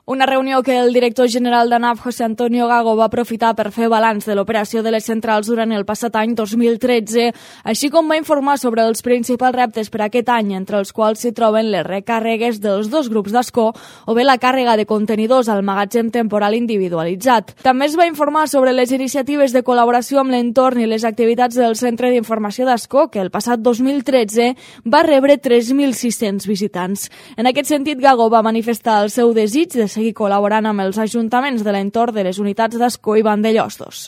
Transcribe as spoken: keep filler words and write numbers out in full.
Una reunió que el director general d'ANAF, José Antonio Gago, va aprofitar per fer balanç de l'operació de les centrals durant el passat any dos mil tretze, així com va informar sobre els principals reptes per aquest any, entre els quals s'hi troben les recàrregues dels dos grups d'Ascó o bé la càrrega de contenidors al magatzem temporal individualitzat. També es va informar sobre les iniciatives de col·laboració amb l'entorn i les activitats del Centre d'Informació d'Ascó, que el passat dos mil tretze va rebre tres mil sis-cents visitants. En aquest sentit, Gago va manifestar el seu desig de seguir col·laborant amb els ajuntaments de l'entorn de les unitats d'Ascó i Vandellostos.